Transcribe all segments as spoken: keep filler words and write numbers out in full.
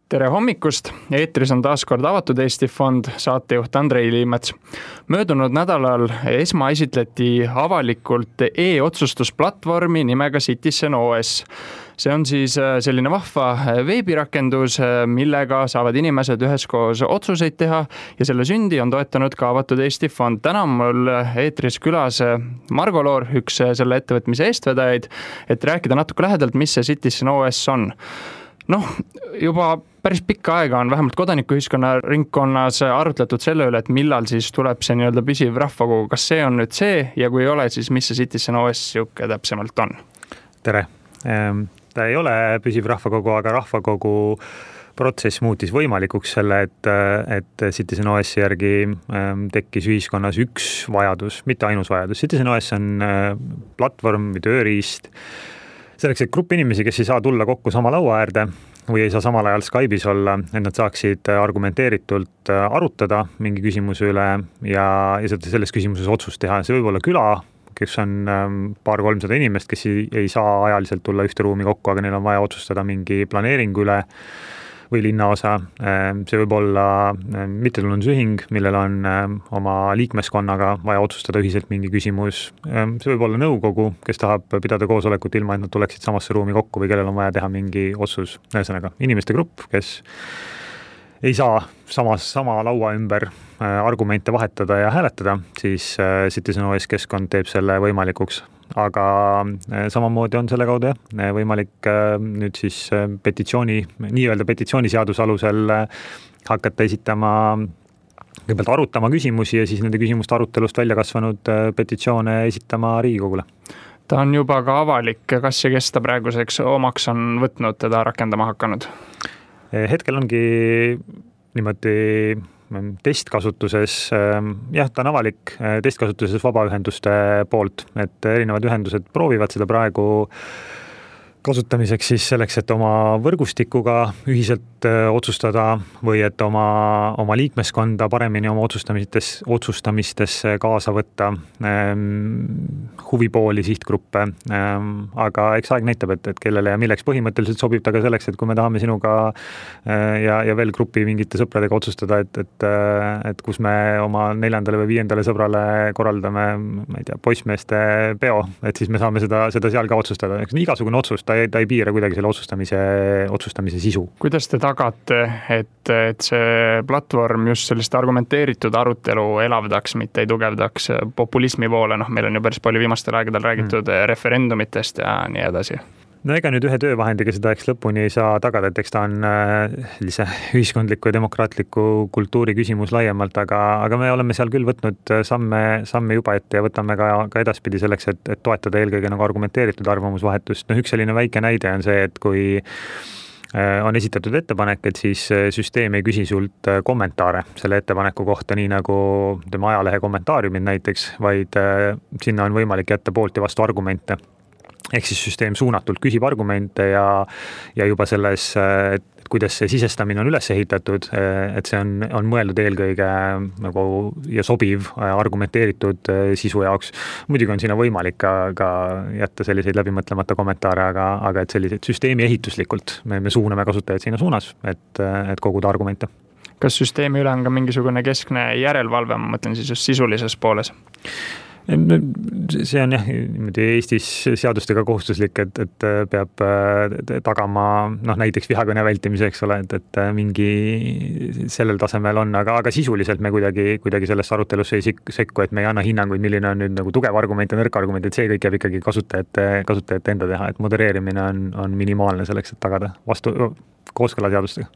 Tere hommikust, eetris on taas kord Avatud Eesti Fond, saatejuht Andrei Liimets. Möödunud nädalal esma esitleti avalikult e-otsustusplatvormi nimega Citizen O S. See on siis selline vahva veebirakendus, millega saavad inimesed üheskoos otsuseid teha ja selle sündi on toetanud ka Avatud Eesti Fond. Täna on mul eetris külas Margo Loor, üks selle ettevõtmise eestvedajaid, et rääkida natuke lähedalt, mis see Citizen O S on. Noh, juba päris pikka aega on vähemalt kodanikuühiskonna ringkonnas arutletud selle üle, et millal siis tuleb see nii-öelda püsiv rahvakogu. Kas see on nüüd see ja kui ei ole, siis mis see Citizen O S siuke täpsemalt on? Tere! Ta ei ole püsiv rahvakogu, aga rahvakogu protsess muutis võimalikuks selle, et, et Citizen O S järgi tekkis ühiskonnas üks vajadus, mitte ainus vajadus. Citizen O S on platvorm või tööriist selleks, et grupp inimesi, kes ei saa tulla kokku sama laua äärde või ei saa samal ajal Skype'is olla, et nad saaksid argumenteeritult arutada mingi küsimuse üle ja, ja selles küsimuses otsust teha. See võib olla küla, kes on paar kolmsada inimest, kes ei, ei saa ajaliselt tulla ühte ruumi kokku, aga neil on vaja otsustada mingi planeeringu üle või linnaosa. See võib olla mittetulundusühing, millel on oma liikmeskonnaga vaja otsustada ühiselt mingi küsimus. See võib olla nõukogu, kes tahab pidada koosolekut ilma, et nad tuleksid samasse ruumi kokku või kellel on vaja teha mingi otsus. Ühesõnaga, inimeste grupp, kes ei saa samas, sama laua ümber argumente vahetada ja hääletada, siis Citizen O S keskkond teeb selle võimalikuks. Aga samamoodi on selle kaudu jah, võimalik nüüd siis petitsiooni, nii-öelda petitsiooniseaduse alusel hakata esitama, kõigepealt arutama küsimusi ja siis nende küsimuste arutelust välja kasvanud petitsioone esitama Riigikogule. Ta on juba ka avalik, kas ja kes ta praeguseks omaks on võtnud teda rakendama hakanud? Hetkel ongi niimoodi testkasutuses, jah, ta on avalik testkasutuses vabaühenduste poolt, et erinevad ühendused proovivad seda praegu kasutamiseks siis selleks, et oma võrgustikuga ühiselt otsustada või et oma, oma liikmeskonda paremini oma otsustamistes, otsustamistesse kaasa võtta, huvipooli, sihtgruppe, aga eks aeg näitab, et, et kellele ja milleks põhimõtteliselt sobib ta ka selleks, et kui me tahame sinuga ja, ja veel grupi mingite sõpradega otsustada, et, et, et kus me oma neljandale või viiendale sõbrale korraldame, ma ei tea, poissmeeste peo, et siis me saame seda, seda seal ka otsustada. Eks igasugune otsus, ta ei, ta ei piira kuidagi selle otsustamise, otsustamise sisu. Kuidas te tagate, et, et see platvorm just sellist argumenteeritud arutelu elavdaks, mitte ei tugevdaks populismi poole? Noh, meil on ju päris palju viimastel aegadel räägitud mm. referendumitest ja nii edasi. No ega nüüd ühe töövahendiga seda eks lõpuni ei saa tagada, et eks ta on sellise ühiskondliku ja demokraatliku kultuuri küsimus laiemalt, aga, aga me oleme seal küll võtnud samme, samme juba ette ja võtame ka, ka edaspidi selleks, et, et toetada eelkõige nagu argumenteeritud arvamusvahetust. No üks selline väike näide on see, et kui on esitatud ettepanek, et siis süsteem ei küsi sult kommentaare selle ettepaneku kohta, nii nagu tema ajalehe kommentaariumid näiteks, vaid sinna on võimalik jätta poolt ja vastu argumente. Ehk siis süsteem suunatult küsib argumente ja, ja juba selles, et kuidas see sisestamine on üles ehitatud, et see on, on mõeldud eelkõige nagu ja sobiv argumenteeritud sisu jaoks. Muidugi on sinna võimalik ka, ka jätta selliseid läbimõtlemata kommentaare, aga, aga et sellised süsteemi ehituslikult me, me suuname kasutajaid sinna suunas, et, et koguda argumente. Kas süsteemi üle on ka mingisugune keskne järelevalve, ma mõtlen siis just sisulises pooles? See on jah, Eestis seadustega kohustuslik, et, et peab tagama noh, näiteks vihakõne vältimiseks, ole, et, et mingi sellel tasemel on, aga, aga sisuliselt me kuidagi, kuidagi sellest arutelusse ei sekku, et me ei anna hinnanguid, milline on nüüd nagu tugev argument ja nõrk argument, et see kõik jääb ikkagi kasutajate, kasutajate enda teha, et modereerimine on, on minimaalne selleks, et tagada vastu kooskõla seadustega.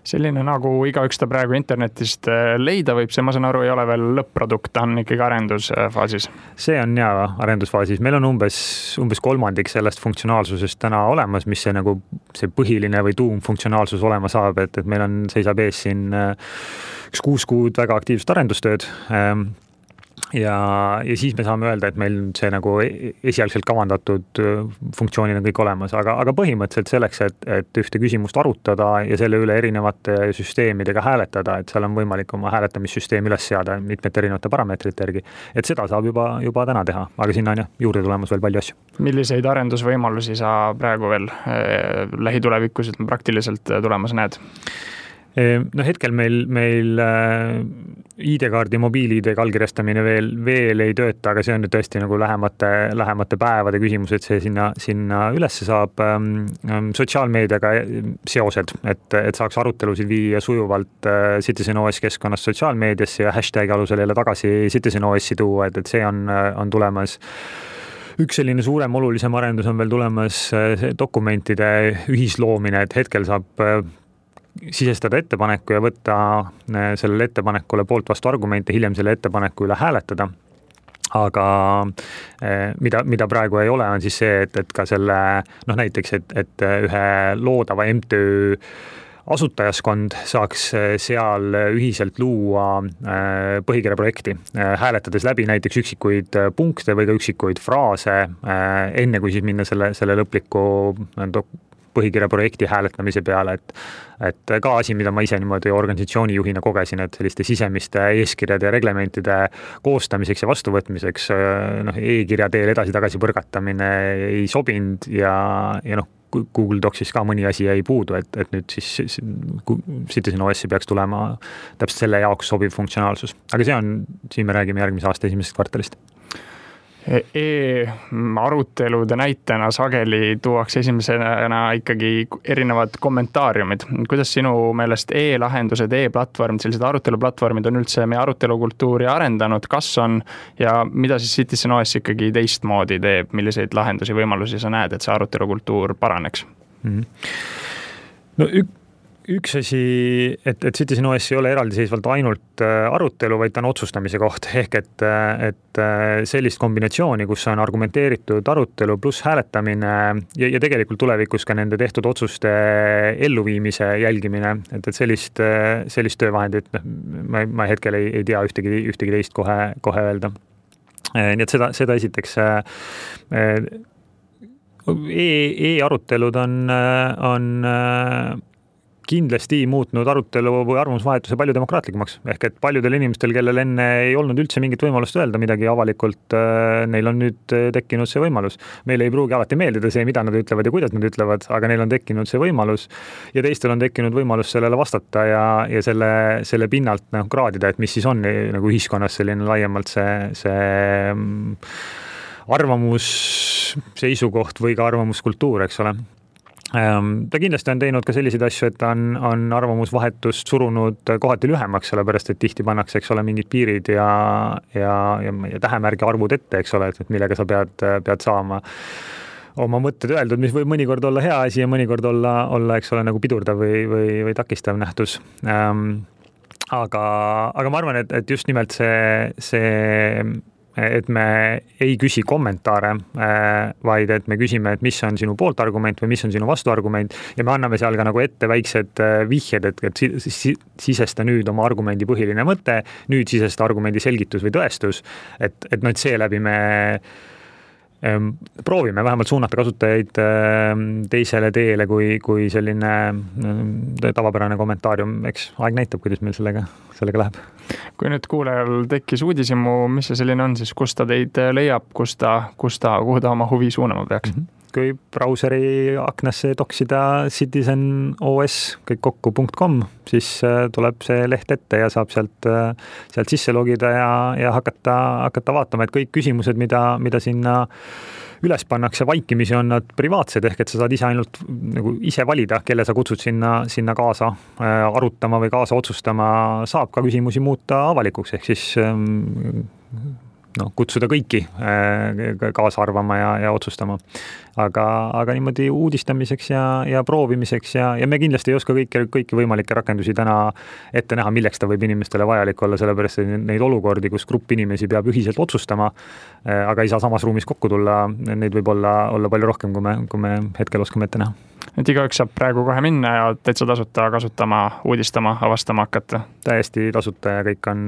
Selline nagu igaüks ta praegu internetist leida võib, see ma saan aru ei ole veel lõpp-produkt, ta on ikkagi arendusfaasis. See on jah arendusfaasis. Meil on umbes, umbes kolmandik sellest funktsionaalsusest täna olemas, mis see, nagu, see põhiline või tuumfunktsionaalsus olema saab, et, et meil on, seisab ees siin üks kuus kuud väga aktiivset arendustööd. ja, ja siis me saame öelda, et meil see nagu esialgselt kavandatud funktsioonid on kõik olemas, aga, aga põhimõtteliselt selleks, et, et ühte küsimust arutada ja selle üle erinevate süsteemidega hääletada, et seal on võimalik oma hääletamissüsteemi üles seada mitmete erinevate parameetrite järgi, et seda saab juba, juba täna teha, aga sinna on jah, juurde tulemas veel palju asju. Milliseid arendusvõimalusi sa praegu veel eh, lähitulevikus praktiliselt tulemas näed? No hetkel meil, meil I D-kaardi, mobiil-I D allkirjastamine veel, veel ei tööta, aga see on nüüd tõesti nagu lähemate, lähemate päevade küsimus, et see sinna, sinna ülesse saab sotsiaalmeediaga seosed, et, et saaks arutelusid viia sujuvalt CitizenOS keskkonnast sotsiaalmeediasse ja hashtagi alusel jälle tagasi CitizenOS-i tuua, et, et see on, on tulemas. Üks selline suurem olulisem arendus on veel tulemas dokumentide ühisloomine, et hetkel saab sisestada ettepaneku ja võtta sellele ettepanekule poolt vastu argumente, hiljem selle ettepaneku üle hääletada. Aga mida, mida praegu ei ole, on siis see, et, et ka selle, noh näiteks, et, et ühe loodava M T Ö asutajaskond saaks seal ühiselt luua põhikirja projekti, hääletades läbi näiteks üksikuid punkte või ka üksikuid fraase, enne kui siis minna selle, selle lõpliku põhikirja projekti hääletamise peale, et, et ka asi, mida ma ise niimoodi organisatsiooni juhina kogesin, et selliste sisemiste eeskirjade ja reglementide koostamiseks ja vastuvõtmiseks noh, e-kirja teel edasi-tagasi põrgatamine ei sobinud ja, ja noh, Google Docsis ka mõni asi jäi puudu, et, et nüüd siis CitizenOS-i peaks tulema täpselt selle jaoks sobiv funktsionaalsus. Aga see on, siin me räägime järgmise aasta esimesest kvartalist. E-arutelude näitena sageli tuuakse esimesena ikkagi erinevad kommentaariumid. Kuidas sinu meelest e-lahendused, e-platvormid, sellised aruteluplatvormid on üldse meie arutelukultuuri arendanud, kas on ja mida siis CitizenOS ikkagi teistmoodi teeb, milliseid lahendusi, võimalusi sa näed, et see arutelukultuur paraneks? Mm-hmm. No ük- Üks asi, et, et CitizenOS ei ole eraldiseisvalt ainult arutelu, vaid ta on otsustamise koht, ehk et, et sellist kombinatsiooni, kus on argumenteeritud arutelu pluss hääletamine ja, ja tegelikult tulevikus ka nende tehtud otsuste elluviimise jälgimine, et, et sellist, sellist töövahendit, ma, ma hetkel ei, ei tea ühtegi, ühtegi teist kohe, kohe öelda. Nii et seda, seda esiteks e, e-arutelud on, on kindlasti muutnud arutelu või arvamusvahetuse palju demokraatlikumaks. Ehk et paljudel inimestel, kellel enne ei olnud üldse mingit võimalust öelda midagi avalikult, neil on nüüd tekkinud see võimalus. Meil ei pruugi alati meeldida see, mida nad ütlevad ja kuidas nad ütlevad, aga neil on tekkinud see võimalus ja teistel on tekkinud võimalus sellele vastata ja, ja selle, selle pinnalt noh, kraadida, et mis siis on nagu ühiskonnas selline laiemalt see, see arvamus, seisukoht või ka arvamuskultuur, eks ole. Ta kindlasti on teinud ka selliseid asju, et on, on arvamusvahetust surunud kohati lühemaks, sellepärast, et tihti pannakse, eks ole, mingid piirid ja, ja, ja, ja tähemärgi arvud ette, eks ole, et millega sa pead, pead saama oma mõtted öeldud, mis võib mõnikord olla hea asi ja mõnikord olla, olla eks ole, nagu pidurdav või, või, või takistav nähtus. Ähm, aga, aga ma arvan, et, et just nimelt see, see et me ei küsi kommentaare, vaid et me küsime, et mis on sinu poolt argument või mis on sinu vastuargument ja me anname seal ka nagu ette väiksed vihjed, et, et sisesta nüüd oma argumendi põhiline mõte, nüüd sisesta argumendi selgitus või tõestus, et, et no, et seeläbi me proovime vähemalt suunata kasutajaid teisele teele kui, kui selline tavapärane kommentaarium, eks aeg näitab, kuidas meil sellega, sellega läheb. Kui nüüd kuulajal tekkis uudisimu, mis see selline on, siis kus ta teid leiab, kus ta, kus ta, kuhu ta oma huvi suunama peaks? Mm-hmm. Kui brauseri aknasse toksida CitizenOS kõik kokku punkt com, siis tuleb see leht ette ja saab sealt, sealt sisse logida ja, ja hakata, hakata vaatama, et kõik küsimused, mida, mida sinna üles pannakse vaikimisi, on nad privaatsed, ehk et sa saad ise ainult nagu ise valida, kelle sa kutsud sinna, sinna kaasa arutama või kaasa otsustama, saab ka küsimusi muuta avalikuks, ehk siis no, kutsuda kõiki kaasa arvama ja, ja otsustama. Aga, aga niimoodi uudistamiseks ja, ja proovimiseks ja, ja me kindlasti ei oska kõiki, kõiki võimalikke rakendusi täna ette näha, milleks ta võib inimestele vajalik olla, sellepärast et neid olukordi, kus grupp inimesi peab ühiselt otsustama, aga ei saa samas ruumis kokku tulla, neid võib olla, olla palju rohkem, kui me, kui me hetkel oskame ette näha. et igaüks saab praegu kohe minna ja täitsa tasuta kasutama, uudistama, avastama hakata. Täiesti tasuta ja kõik on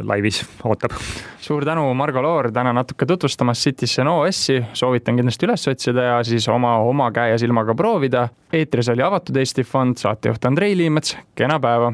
laivis, ootab. Suur tänu, Margo Loor, täna natuke tutvustamas Citizen O S-i, soovitan kindlasti üles otsida ja siis oma, oma käe ja silmaga proovida. Eetris oli Avatud Eesti Fond, saatejuht Andrei Liimets, kena päeva!